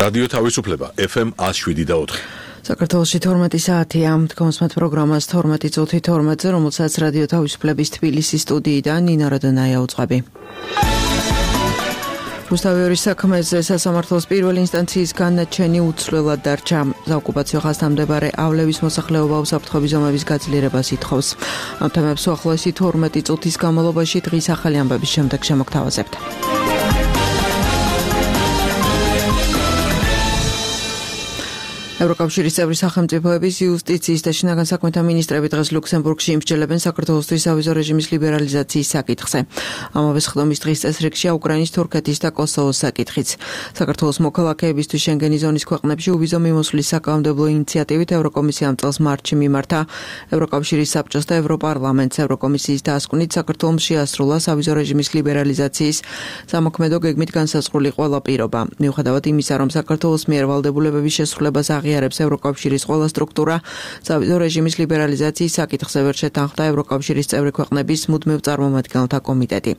რადიო თავისუფლება FM 107.4. საქართველოში 12 საათია. თქვენს პროგრამას 12 წუთი 12-ზე, რომელსაც რადიო თავისუფლების თბილისის სტუდიიდან ნინა როდონაია უწყები. რუსთავიორის საქმეზე სასამართლოს პირველი ინსტანციის განაჩენი უცვლელად დარჩა. საოკუპაციო ხაზთან მდებარეავლების მოსახლეობა უსაფრთხოების ზომების გაძლიერებას ითხოვს. ამ თემებს უახლოესი 12 წუთის განმავლობაში დღის ახალი ამბების შემდეგ შემოგთავაზებთ. ევროკავშირის წევრი სახელმწიფოების იუსტიციის და შინაგან საქმეთა მინისტრები დღეს ლუქსემბურგში იმსჯელებენ საქართველოსთვის სავიზო რეჟიმის ლიბერალიზაციის საკითხზე. ამავე სხდომის დღის წესრიგშია უკრაინის, თურქეთის და კოსოვოს საკითხიც. საქართველოს მოქალაქეებისთვის შენგენის ზონის ქვეყნებში უვიზო მიმოსვლის საკანონმდებლო ინიციატივით ევროკომისია ამ წელს მარტში მიმართა ევროკავშირის საბჭოს და ევროპარლამენტს. ევროკომისიის დასკვნით საქართველოს შეასრულა სავიზო რეჟიმის ლიბერალიზაციის სამოქმედო გეგმით განსაზღვრული ყველა პირობა. მიუხედავად იმისა, რომ საქართველოს მიერ ვალდებულებების შესრულებას აღიარებს ევროკავშირის ყველა სტრუქტურა, სავიზო რეჟიმის ლიბერალიზაციის საკითხზე ვერ შეთანხმდა ევროკავშირის წევრი ქვეყნების მუდმივ წარმომადგენელთა კომიტეტი.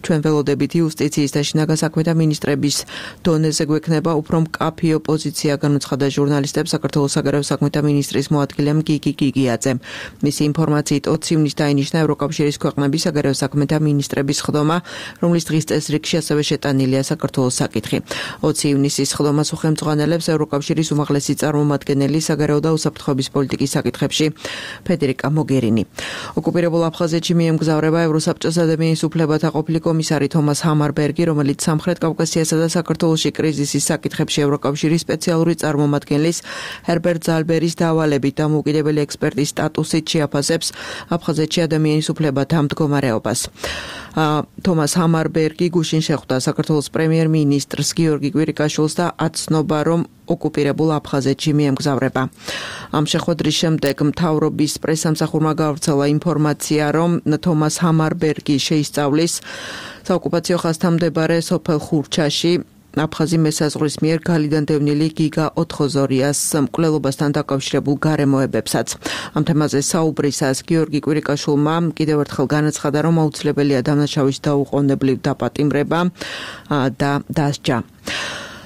ჩვენ ველოდებით იუსტიციის და შინაგან საქმეთა მინისტრების დონეზე გვექნება უფრო მკაფიო პოზიცია, განუცხადა ჟურნალისტებს საქართველოს საგარეო საქმეთა მინისტრის მოადგილემ გიგი გიგიაძემ. მისი ინფორმაციით 20 ივნისს დაინიშნა ევროკავშირის ქვეყნების საგარეო საქმეთა მინისტრების სხდომა, რომლის დღის წესრიგში ასევე შეტანილია საქართველოს საკითხი. 20 ივნისის სხდომას უხელმძღვანელებს ევროკავშირის უმაღლესი წარმომადგენელი საგარეო და უსაფრთხოების პოლიტიკის საკითხებში ფედერიკა მოგერინი. ოკუპირებულ აფხაზეთში მიემგზავრება ევროსაბჭოს ადამიანის უფლებათა ყოფილი კომისარი თომას ჰამარბერგი, რომელიც სამხრეთ კავკასიასა და საქართველოში კრიზისის საკითხებში ევროკავშირის სპეციალური წარმომადგენლის ჰერბერტ ზალბერის დავალებით დამოუკიდებელი ექსპერტის სტატუსით შეაფასებს აფხაზეთში ადამიანის უფლებათა მდგომარეობას. თომას ჰამარბერგი გუშინ შეხვდა საქართველოს პრემიერ-მინისტრს გიორგი კვირიკაშვილს და აცნობა, რომ ოკუპირებულ აფხაზეთში მიემგზავრება. ამ შეხვედრის შემდეგ მთავრობის პრესამსახურმა გავრცელა ინფორმაცია, რომ თომას ჰამარბერგი შეისწავლის საოკუპაციო ხაზთან მდებარე სოფელ ხურჩაში აფხაზი მესაზღვრის მიერ გალიდანდევნილი გიგა ოთხოზორიას მკვლელობასთან დაკავშირებულ გარემოებებსაც. ამ თემაზე საუბრისას გიორგი კვირიკაშვილმა კიდევ ერთხელ განაცხადა, რომ აუცილებელია დამნაშავის დაუყოვნებლივ დაპატიმრება და დასჯა.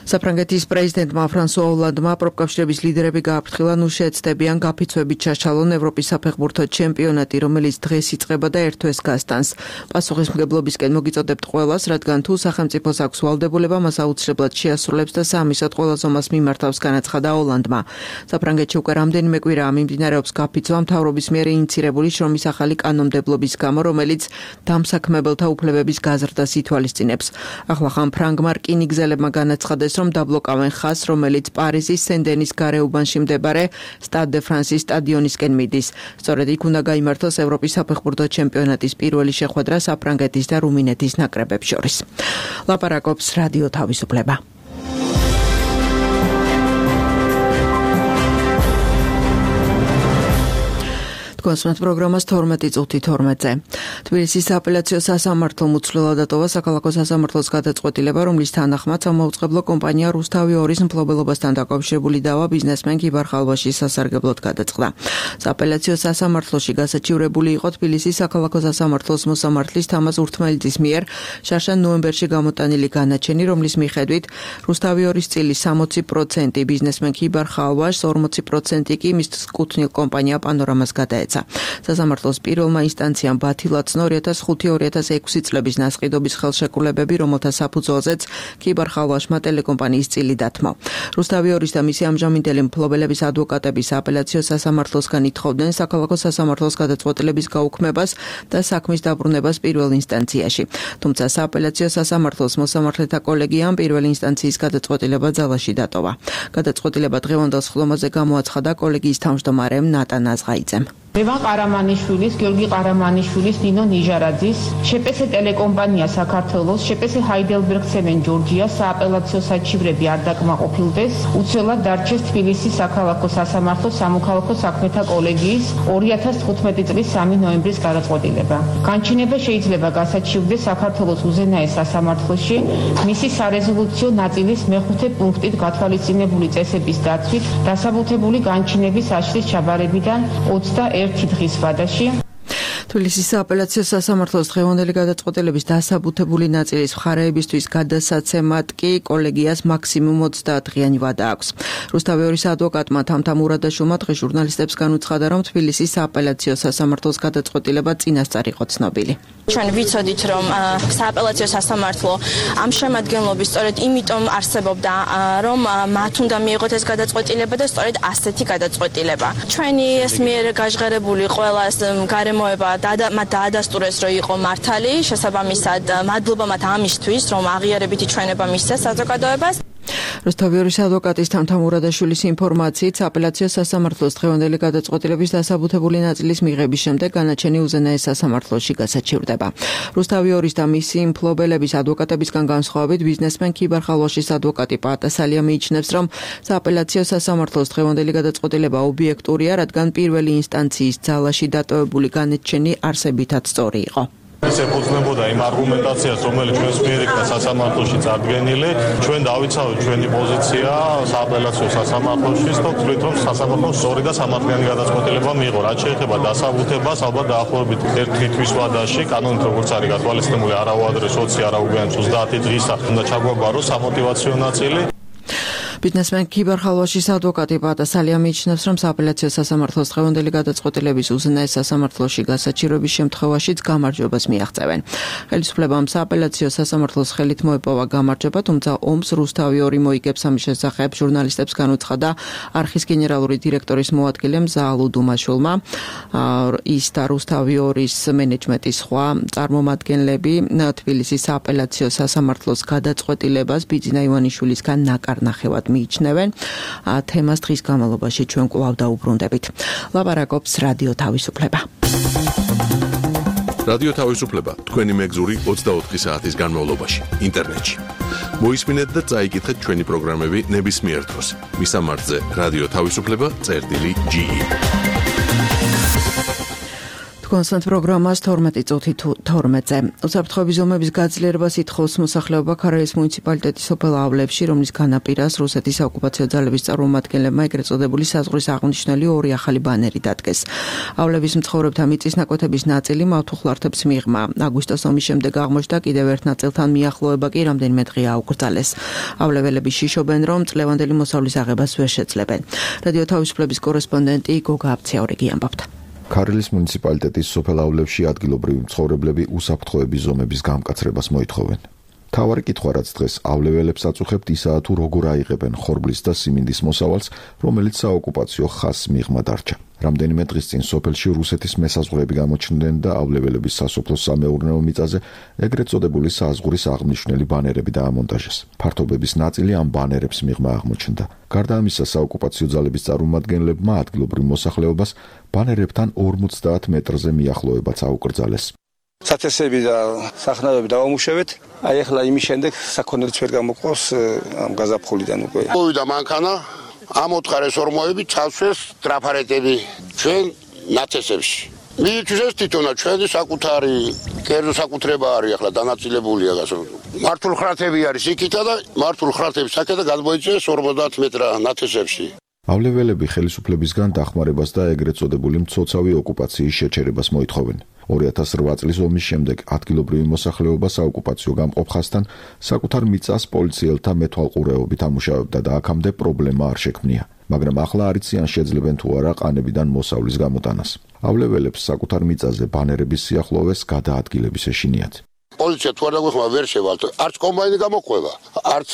საფრანგეთის პრეზიდენტმა ფრანსუა ოლანდმა პროფკავშირების ლიდერები გააფრთხილა, ნუ შეეცდებიან გაფიცვებით ჩაშალონ ევროპის საფეხბურთო ჩემპიონატი, რომელიც დღეს იწყება და ერთ თვეს გასტანს. პასუხისმგებლობისკენ მოგიწოდებთ ყველას, რადგან თუ სახელმწიფოს აქვს ვალდებულება, მას აუცილებლად შეასრულებს და სამისად ყველა ზომას მიმართავს, განაცხადა ოლანდმა. საფრანგეთში უკვე რამდენიმე კვირაა მიმდინარეობს გაფიცვა მთავრობის მიერ ინიცირებული შრომის ახალი კანონმდებლობის გამო, რომელიც დამსაქმებელთა უფლებების გაზრდას ითვალისწინებს. ახლახან ფრანგმა რკინი გზელებმა განაცხადეს, რომ დაბლოკავენ ხაზს, რომელიც პარიზის სენ-დენის გარეუბანში მდებარე სტად დე ფრანსის სტადიონისკენ მიდის. სწორედ იქ უნდა გაიმართოს ევროპის საფეხბურთო ჩემპიონატის პირველი შეხვედრა საფრანგეთის და რუმინეთის ნაკრებებს შორის. ლაპარაკობს რადიო თავისუფლება. კონსულტ პროგრამას 12 წუთი 12-ზე. თბილისის სააპელაციო სასამართლომ უცვლელად დატოვა საქალაქო სასამართლოს გადაწყვეტილება, რომლის თანახმად სამაუწყებლო კომპანია რუსთავი 2-ის მფლობელობასთან დაკავშირებული დავა ბიზნესმენ გიბარ ხალვაშის სასარგებლოდ გადაწყდა. სააპელაციო სასამართლოში გასაჩივრებული იყო თბილისის საქალაქო სასამართლოს მოსამართლის თამაზ ურთმელიძის მიერ შარშან ნოემბერში გამოტანილი განაჩენი, რომლის მიხედვით რუსთავი 2-ის წილის 60% ბიზნესმენ გიბარ ხალვაშს, 40% კი მის კუთვნილ კომპანია პანორამას გადაეცა. სასამართლოს პირველმა ინსტანციამ ბათილაცნო 2005-2006 წლების ნასყიდობის ხელშეკრულებები, რომელთა საფუძველზეც გიბარ ხალვაშმა ტელეკომპანიის წილი დათმო. რუსთავი 2-ის და მისი ამჟამინდელი მფლობელების ადვოკატები სააპელაციო სასამართლოსგან ითხოვდნენ საქალაქო სასამართლოს გადაწყვეტილების გაუქმებას და საქმის დაბრუნებას პირველ ინსტანციაში. თუმცა სააპელაციო სასამართლოს მოსამართლეთა კოლეგიამ პირველი ინსტანციის გადაწყვეტილება ძალაში დატოვა. გადაწყვეტილება დღევანდელ სხდომაზე გამოაცხადა კოლეგიის თავმჯდომარემ ნატან აზღაიძემ. ლევან ყარამანიშვილის, გიორგი ყარამანიშვილის, ნინო ნიჟარაძის, შეპესე ტელეკომპანია საქართველოს, შეპესე ჰაიდელბერგ ცემენ ჯორჯია სააპელაციო საჩივრები არ დაკმაყოფილდეს, უცვლელად დარჩეს თბილისის საქალაქო სასამართლო სამოქალაქო საქმეთა კოლეგიის 2015 წლის 3 ნოემბრის გადაწყვეტილება. განჩინება შეიძლება გასაჩივრდეს საქართველოს უზენაეს სასამართლოში მისი სარეზოლუციო ნაწილის მეხუთე პუნქტით გათვალისწინებული წესების დაცვით დასაბუთებული განჩინების აშლის ჩაბარებიდან 21 დღის ვადაში თბილისის სააპელაციო სასამართლოს დღევანდელი გადაწყვეტილების დასაბუთებული ნაწილის მხარეებისთვის გადასაცემად კი კოლეგიას მაქსიმუმ 30 დღიანი ვადა აქვს. რუსთავიორის ადვოკატმა თამთა მურადაშვილმა დღეს ჟურნალისტებს განუცხადა, რომ თბილისის სააპელაციო სასამართლოს გადაწყვეტილება წინასწარ იყო ცნობილი. ჩვენ ვიცოდით, რომ სააპელაციო სასამართლო ამ შემადგენლობის სწორედ იმიტომ არსებობდა, რომ მათ უნდა მიიღოთ ეს გადაწყვეტილება და სწორედ ასეთი გადაწყვეტილება. ჩვენი ეს მიერ გაჟღერებული ყველა გარემოება მათ დაადასტურეს, რომ იყო მართალი, შესაბამისად მადლობა მათ ამისთვის, რომ აღიარებითი ჩვენება მისცეს საზოგადოებას. რუსთავიორის ადვოკატის თამთა მურადაშვილის ინფორმაციით, სააპელაციო სასამართლოს დღევანდელი გადაწყვეტილების დასაბუთებული ნაწილის მიღების შემდეგ განაჩენი უზენაეს სასამართლოში გასაჩივრდება. რუსთავიორის და მისი მფლობელების ადვოკატებისგან განსხვავებით, ბიზნესმენ ქიბარ ხალვაშის ადვოკატი პაატასალია მიიჩნევს, რომ სააპელაციო სასამართლოს დღევანდელი გადაწყვეტილება ობიექტურია, რადგან პირველი ინსტანციის ძალაში დატოვებული განაჩენი არსებითად სწორი იყო. ეს ეფუძნებოდა იმ არგუმენტაციას, რომელიც ჩვენს მიერ იქნა სასამართლოში წარდგენილი. ჩვენ დავიცავთ ჩვენი პოზიცია სააპელაციო სასამართლოში, ვთქვით, რომ სასამართლოს სწორი და სამართლიანი გადაწყვეტილება მიიღო. რაც შეეხება დასაბუთებას, ალბათ დაახლოებით 1 თვის ვადაში, კანონით როგორც არის გათვალისწინებული, არა უადრეს 20, არა უგან 30 დღისა უნდა ჩაგვაბაროს სამოტივაციო ნაწილი. ბიზნესმენ ქიბარ ხალვაშის ადვოკატი პაატასალია მიიჩნევს, რომ სააპელაციო სასამართლოს დღევანდელი გადაწყვეტილების უზენაეს სასამართლოში გასაჩივრების შემთხვევაშიც გამარჯვებას მიაღწევენ. ხელისუფლებამ სააპელაციო სასამართლოს ხელით მოეპოვა გამარჯვება, თუმცა ომს რუსთავიორი მოიგებს ამის შესახებ ჟურნალისტებს განუცხადა არხის გენერალური დირექტორის მოადგილე მზაალუ დუმაშვილმა. ის და რუსთავიორის მენეჯმენტის სხვა წარმომადგენლები თბილისის სააპელაციო სასამართლოს გადაწყვეტილებას ბიძინა ივანიშვილისგან ნაკარნახევად მიიჩნევენ. თემას დღის განმავლობაში ჩვენ კვლავ დაუბრუნდებით. ლაპარაკობს რადიო თავისუფლება. რადიო თავისუფლება თქვენი მეგზური 24 საათის განმავლობაში ინტერნეტში. მოისმინეთ და წაიკითხეთ ჩვენი პროგრამები ნებისმიერ დროს. მისამართზე რადიო თავისუფლება.ge. კონსტანტ პროგრამას 12 წუთი 12-ზე. უსაფრთხოების ზომების გაძლიერებას ითხოვს მოსახლეობა ქარალის მუნიციპალიტეტის სოფელავლებში, რომლის განაპირას რუსეთის საოკუპაციო ძალების წარმომადგენლებმა ეგრეთ წოდებული საზღვრის აღნიშნული 2 ახალი ბანერი დადგეს.ავლების მცხოვრებთა მიწის ნაკვეთების ნაწილი მავთუხლართებს მიღმა. აგვისტოს ომის შემდეგ აღმოჩნდა კიდევ ერთ ნაწილთან მიახლოება კი რამდენიმე დღეა აუკრძალეს. ავლეველები შიშობენ, რომ წლევანდელი მოსავლის აღებას ვერ შეძლებენ. რადიო თავისუფლების კორესპონდენტი გოგა აბციაურიგი ამბობდა. ქარელის მუნიციპალიტეტის სოფელავლებში ადგილობრივი მცხოვრებლები უსაფრთხოების ზომების გამკაცრებას მოითხოვენ. მთავარი კითხვა, რაც დღეს ავლეველებს აწუხებთ, ისაა თუ როგორ აიღებენ ხორბლის და სიმინდის მოსავალს, რომელიც საოკუპაციო ხაზს მიღმა დარჩა. რამდენიმე დღის წინ სოფელში რუსეთის მესაზღვრეები გამოჩნდნენ და ავლეველების სასოფლო სამეურნეო მიწაზე ეგრეთ წოდებული საზღვრის აღნიშნული ბანერები დაამონტაჟეს. ფართობების ნაწილი ამ ბანერებს მიღმა აღმოჩნდა. გარდა ამისა, საოკუპაციო ძალების წარმომადგენლებმა ადგილობრივ მოსახლეობას ბანერებთან 50 მეტრზე მიახლოებაც აუკრძალეს. სათესები და სახნავები დავამუშავეთ. აი ახლა იმის შემდეგ საქონელიც ვერ გამოყავს ამ გაზაფხულიდან უკვე. მოვიდა მანქანა, ამ 4 ორმოები ჩავსვეს ტრაფარეტები ჩვენ ნათესებში. მიიწვეს თვითონაც ჩვენი საკუთარი კერძო საკუთრება არის ახლა დანაწილებულია გასულ. მართულ ხრათები არის იქითა და მართულ ხრათების საკეთა გადმოიწვიეს 50 მეტრა ნათესებში. ავლეველები ხელისუფლებისგან დახმარებას და ეგრეთ წოდებული მცოცავი ოკუპაციის შეჩერებას მოითხოვენ. 2008 წლის ომის შემდეგ ადგილობრივი მოსახლეობა საოკუპაციო გამყოფ ხაზთან საკუთარ მიწას პოლიციელთა მეთვალყურეობით ამუშავებდა და აქამდე პრობლემა არ შექმნია. მაგრამ ახლა არ იციან შეძლებენ თუ არა ყანებიდან მოსავლის გამოტანას. ავლეველებს საკუთარ მიწაზე ბანერების სიახლოვეს გადაადგილების ეშინიათ. პოლიცია თუ არ დაგვეხმარება ვერ შევალთ. არც კომბაინი გამოყვება, არც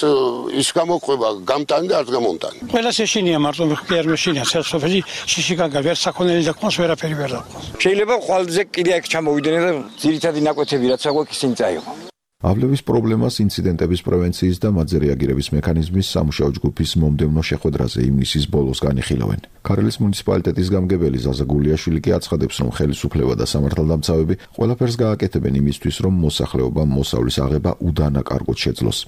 ის გამოყვება გამტანი და არც გამონტანი. ყველას ეშინია მარტო ვერ მეშინია სოფელი შიშიკაგა ვერ საქონელი და ყავს ვერაფერი ვერ დაყავს. შეიძლება ყველაზე კიდე აქ ჩამოვიდნენ და ძირითადი ნაკვეთები რაც აგვაქვს ისინი წაიღო. ავლევის პრობლემას ინციდენტების პრევენციის და მათზე რეაგირების მექანიზმის სამუშაო ჯგუფის მომდევნო შეხვედრაზე ივნისის ბოლოს განიხილავენ. ქარელის მუნიციპალიტეტის გამგებელი ზაზა გულიაშვილი კი აცხადებს, რომ ხელისუფლება და სამართალდამცავები ყველაფერს გააკეთებენ იმისთვის, რომ მოსახლეობამ მოსავლის აღება უდანაკარგოდ შეძლოს.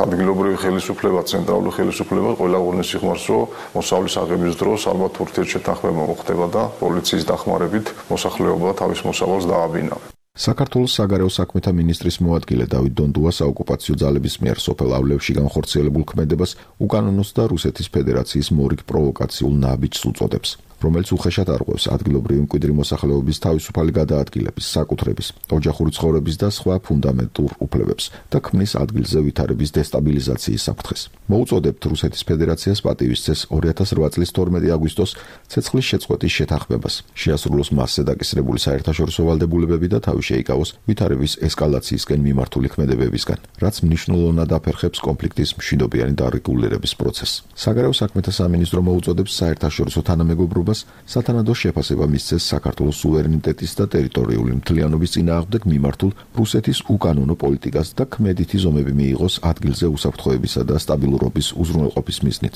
ადგილობრივი ხელისუფლება, ცენტრალური ხელისუფლება ყველა ღონეს სიხმარს, რომ მოსავლის აღების დროს ალბათ ურთიერთშეთანხმება მოხდება და პოლიციის დახმარებით მოსახლეობა თავის მოსავალს დააბინა. საქართველოს საგარეო საქმეთა მინისტრის მოადგილე დავით დონდუა საოკუპაციო ძალების მიერ სოფელავლებში განხორციელებულ ქმედებას უკანონოს და რუსეთის ფედერაციის მორიგ პროვოკაციულ ნაბიჯს უწოდებს. რომელიც უხეშად არღვევს ადგილობრივი მკვიდრი მოსახლეობის თავისუფალი გადაადგილების, საკუთრების, ოჯახური ცხოვრების და სხვა ფუნდამენტურ უფლებებს და ქმნის ადგილზე ვითარების დესტაბილიზაციის საფრთხეს. მოუწოდებთ რუსეთის ფედერაციას პატივისცეს 2008 წლის 12 აგვისტოს ცეცხლის შეწყვეტის შეთანხმებას. შეასრულოს მასზე დაკისრებული საერთაშორისო ვალდებულებები და თავი შეიკავოს ვითარების ესკალაციისკენ მიმართული ქმედებებისგან, რაც მნიშვნელოვნად აფერხებს კონფლიქტის მშვიდობიანი დარეგულირების პროცესს. საგარეო საქმეთა სამინისტრო მოუწოდებს საერთაშორისო თანამეგობრობას სათანადო შეფასება მისცეს საქართველოს სუვერენიტეტის და ტერიტორიული მთლიანობის წინააღმდეგ მიმართულ რუსეთის უკანონო პოლიტიკას და ქმედითი ზომები მიიღოს ადგილზე უსაფრთხოებისა და სტაბილურობის უზრუნველყოფის მიზნით.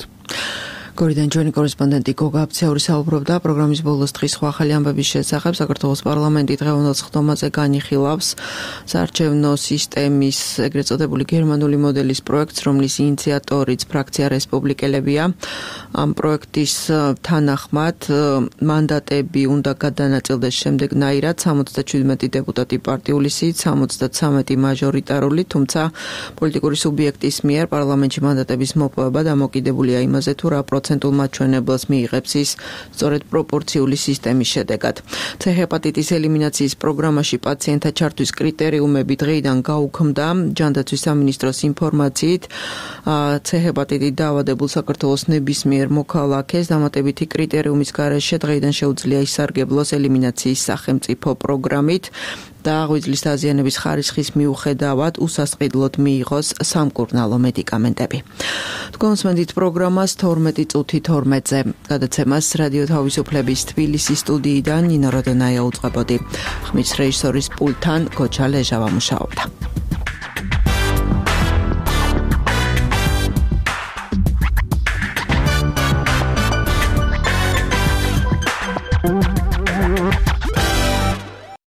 გორიდან ჩვენი კორესპონდენტი გოგა აფციური საუბრობდა პროგრამის ბოლოს დღის სხვა ახალი ამბების შესახებ. საქართველოს პარლამენტი დღევანდელ სხდომაზე განიხილავს საარჩევნო სისტემის ეგრეთ წოდებული გერმანული მოდელის პროექტს, რომლის ინიციატორიც ფრაქცია რესპუბლიკელებია. ამ პროექტის თანახმად მანდატები უნდა გადანაწილდეს შემდეგნაირად: 77 დეპუტატი პარტიული სიით, 73 მაჟორიტარული, თუმცა პოლიტიკური სუბიექტის მიერ პარლამენტში მანდატების მოპოვება დამოკიდებულია იმაზე, თუ რა პროცენტულ მაჩვენებელს მიიღებს ის სწორედ პროპორციული სისტემის შედეგად. C ჰეპატიტის ელიმინაციის პროგრამაში პაციენტთა ჩართვის კრიტერიუმები დღეიდან გაუქმდა. ჯანდაცვის სამინისტროს ინფორმაციით, C ჰეპატიტით დაავადებულ საქართველოს ნებისმიერ მოქალაქეს დამატებითი კრიტერიუმის გარეშე დღეიდან შეუძლია ისარგებლოს ელიმინაციის სახელმწიფო პროგრამით და ღვიძლის დაზიანების ხარისხის მიუხედავად უსასყიდლოდ მიიღოს სამკურნალო მედიკამენტები. თქვენსმენდით პროგრამას 12 წუთი 12-ზე. გადაცემას რადიო თავისუფლების თბილისის სტუდიიდან ნინო როდონაია უწყებოდი. ხმის რეჟისორის პულტთან გოჩა ლეჟავა მუშაობდა.